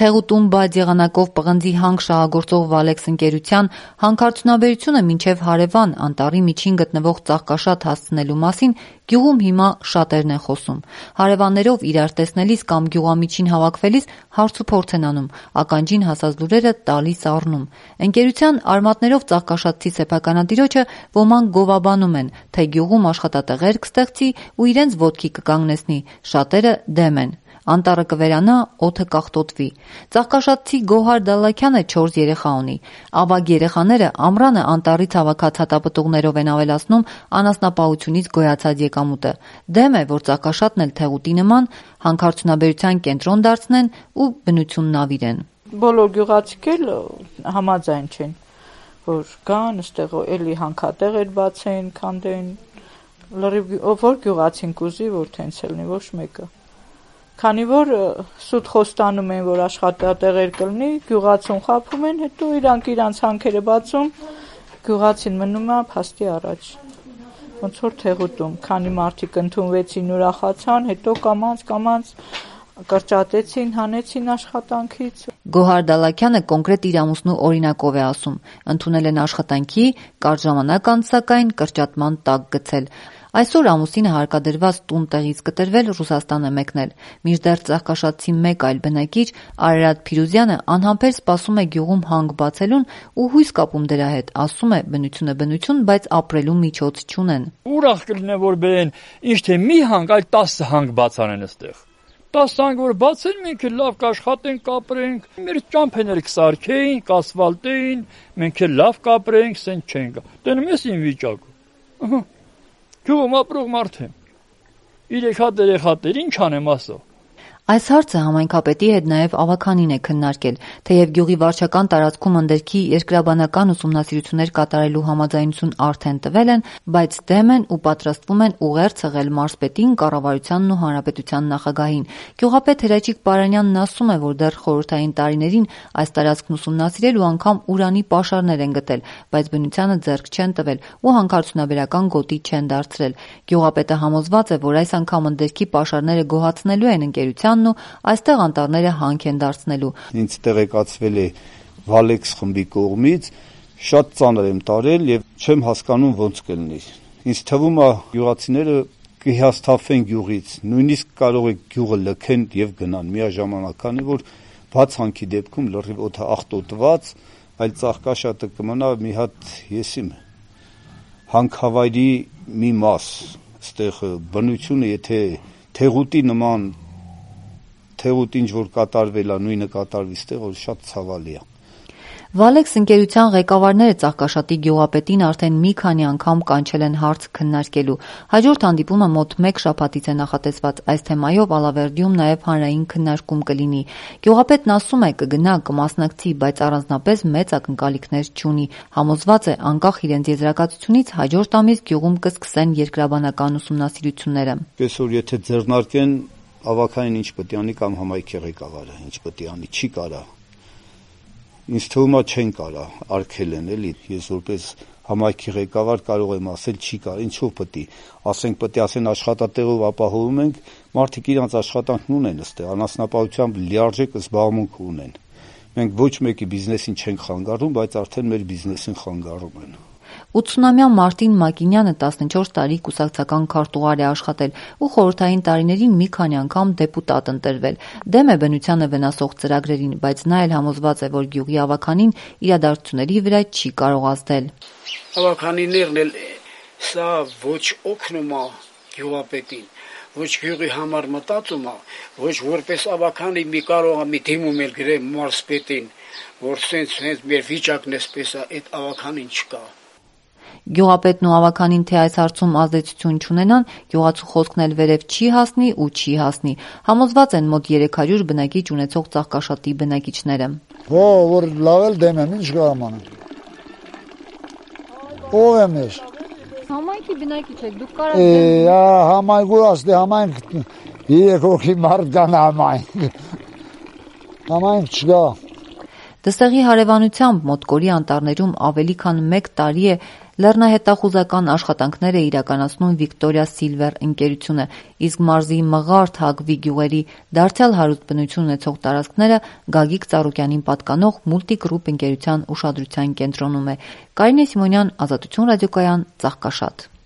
Թեղուտում բաց եղանակով պղնձի հանք շահագործող Վալեքս ընկերության հանքարդյունաբերությունը մինչև հարևան անտառի միջին գտնվող ծաղկաշատ հասցնելու մասին գյուղում հիմա շատերն են խոսում։ Հարևաններով իրար տեսնելիս կամ գյուղամիջին հավաքվելիս հարցուփորձ են անում, ականջին հասած լուրերը տալիս առնում։ Ընկերության արմատներով ծաղկաշատցի սեփականատիրոջը ոմանք գովաբանում են, թե գյուղում աշխատատեղեր կստեղծի ու իրենց ոտքի կկանգնեցնի, շատերը դեմ են։ Անտառը կվերանա, օդը կաղտոտվի։ Ծաղկաշատցի Գոհար Դալլաքյանը 4 երեխա ունի։ Ավագ երեխաները ամռանը անտառից հավաքած հատապտուղներով են ավելացնում անասնապահությունից գոյացած եկամուտը։ Դեմ է, որ ծաղկաշատն էլ Թեղուտի նման հանքարդյունաբերության կենտրոն դարձնեն ու բնությունն նավիրեն։ Բոլոր գյուղացիք էլ համաձայն չեն, որ կան այստեղ էլի հանքատեղեր բացեն, քանդեն։ Որ գյուղացին կուզի, որ տենց լինի, ոչ մեկը։ Քանի որ սուտ խոստանում են, որ աշխատատեղեր կլինի, գյուղացուն խաբում են, հետո իրանց հանքերը բացում, գյուղացին մնում է փաստի առաջ։ Ոնց որ Թեղուտում, քանի մարդիկ ընդունվեցին, ուրախացան, հետո կամաց կրճատեցին, հանեցին աշխատանքից։ Գոհար Դալլաքյանը կոնկրետ իր ամուսնու օրինակով է ասում։ Ընդունել են աշխատանքի, կարճ ժամանակ անց սակայն կրճատման տակ գցել։ Այսօր ամուսինը հարկադրված տուն տեղից կտրվել Ռուսաստան է մեկնել։ Մինչդեռ ծաղկաշատցի մեկ այլ բնակիչ Արարատ Փիրուզյանը անհամբեր սպասում է գյուղում հանք բացելուն ու հույս կապում դրա հետ, ասում է բնությունը բնություն, բայց ապրելու միջոց չունեն։ Ուրախ կլինեմ, որ բերեն ինչ թե մի հանք, այլ 10 հանք բացանեն այստեղ։ 10 հանք որ բացեն, մենք էլ լավ կաշխատենք, կապրենք, մեր ճամփեները կսարքեին, կասֆալտեին, մենք էլ լավ կապրենք, սենց չենք։ Տենում ես իմ վիճակը։ Գյուղում ապրող մարդ եմ։ 3 հատ երեխաներ, ինչ անեմ ասո։ Այս հարցը համայնքապետի հետ նաև Ավագանին է քննարկել, թեև գյուղի վարչական տարածքում ընդերքի երկրաբանական ուսումնասիրություններ կատարելու համաձայնություն արդեն տվել են, բայց դեմ են ու պատրաստվում են ուղերձ հղել մարզպետին, կառավարությանն ու հանրապետության նախագահին։ Գյուղապետ Հրաչիկ Պարանյանն ասում է, որ դեռ խորհրդային տարիներին այս տարածքն ուսումնասիրել ու անգամ ուրանի պաշարներ են գտել, բայց բնությանը ձեռք չեն տվել ու հանքարդյունաբերական գոտի չեն դարձրել։ Գյուղապետը համոզված է, որ այս անգամ ընդերքի պաշարները գոհացնելու են ընկերության ու այստեղ անտառները հանք են դարձնելու։ Ինձ տեղեկացվել է Վալեքս խմբի կողմից, շատ ծանր եմ տարել եւ չեմ հասկանում ոնց կլինի։ Ինձ թվում է գյուղացիները կհիասթափվեն գյուղից, նույնիսկ կարող է գյուղը լքեն եւ գնան միաժամանակ, քանի որ բաց հանքի դեպքում լրիվ օդը աղտոտված, այլ ծաղկաշատը կմնա մի հատ եսիմ հանքավայրի մի մաս։ Այստեղ բնությունը եթե Թեղուտի նման Թեղուտ ինչ որ կատարվել է, նույնը կատարվի ստեղ, որ շատ ցավալի է։ Վալեքս ընկերության ղեկավարները ծաղկաշատի գյուղապետին արդեն մի քանի անգամ կանչել են հարց քննարկելու։ Հաջորդ հանդիպումը մոտ 1 շաբաթից է նախատեսված։ Այս թեմայով Ալավերդիում նաև հանրային քննարկում կլինի։ Գյուղապետն ասում է կգնա, կմասնակցի, բայց առանձնապես մեծ ակնկալիքներ չունի։ Համոզված է անկախ իրենց եզրակացությունից հաջորդ ամիս գյուղում կսկսեն երկրաբանական ուսումնասիրությունները։ Այսօր եթե ձեռնարկեն Ավագանին ինչ պետք է անի կամ համայնքի ղեկավարը ինչ պետք է անի, չի կարա։ Ինձ թվում է չեն կարա արգելեն էլի։ Ես որպես համայնքի ղեկավար կարող եմ ասել չի կարա, ինչով պետք է։ Ասենք պետք է ասեն աշխատատեղով ապահովում ենք, մարդիկ իրանց աշխատանքն ունեն այստեղ, անասնապահությամբ լիարժեք զբաղմունք ունեն։ Մենք ոչ մեկի բիզնեսին չենք խանգարում, բայց արդեն մեր բիզնեսին խանգարում են։ 80-ամյա Մարտին Մակինյանը 14 տարի կուսակցական քարտուղար է աշխատել ու խորհրդային տարիներին մի քանի անգամ դեպուտատ ընտրվել։ Դեմ է բնությանը վնասող ծրագրերին, բայց նա էլ համոզված է, որ գյուղի Ավագանին իրադարձությունների վրա չի կարող ազդել։ Ավագանիներն էլ սա ոչ օգնում է գյուղապետին, ոչ գյուղի համար մտածում է, ոչ որպես Ավագանի մի կարող է մի դիմում էլ գրել մարզպետին, որ սենց մեր վիճակն էսպես է, այդ Ավագանին չկա։ Գյուղապետն ու Ավագանին թե այս հարցում ազդեցություն չունենան, գյուղացու խոսքն էլ վերև չի հասնի ու չի հասնի։ Համոզված են մոտ 300 բնակիչ ունեցող ծաղկաշատի բնակիչները։ Որ լավ էլ դեմ եմ, ինչ կարամ անեմ։ Ով եմ ես։ Համայնքի բնակիչ եք, դուք կարաք դեմ։ Համայնք ասի համայնք 3 հոգի մարդ կան համայնք։ Համայնք չկա։ Դստեղի հարևանությամբ Մոտկորի անտառներում ավելի քան 1 տարի է Լեռնահետախուզական աշխատանքները իրականացնում Վիկտորիա Սիլվեր ընկերությունը, իսկ մարզի Մղարդ, Հակվի գյուղերի դարձյալ հարուստ բնություն ունեցող տարածքները Գագիկ Ծառուկյանին պատկանող Multicroup ընկերության ուշադրության կենտրոնում է։ Կարինե Սիմոնյան, Ազատություն ռադիոկայան, Ծաղկաշատ։